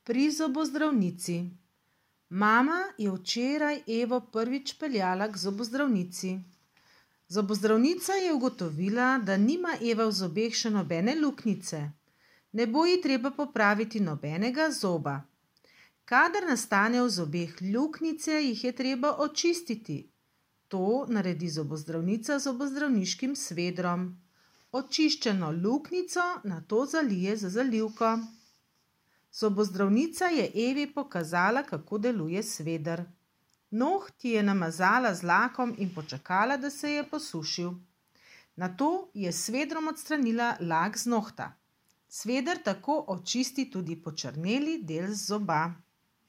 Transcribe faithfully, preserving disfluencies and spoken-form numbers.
Pri zobozdravnici. Mama je včeraj Evo prvič peljala k zobozdravnici. Zobozdravnica je ugotovila, da nima Eva v zobeh še nobene luknjice. Ne bo ji treba popraviti nobenega zoba. Kadar nastane v zobeh luknjice, jih je treba očistiti. To naredi zobozdravnica z zobozdravniškim svedrom. Očiščeno luknjico nato zalije z zalivko. Zobozdravnica je Evi pokazala, kako deluje sveder. Noht je namazala z lakom in počakala, da se je posušil. Nato je s svedrom odstranila lak z nohta. Sveder tako očisti tudi počrneli del zoba.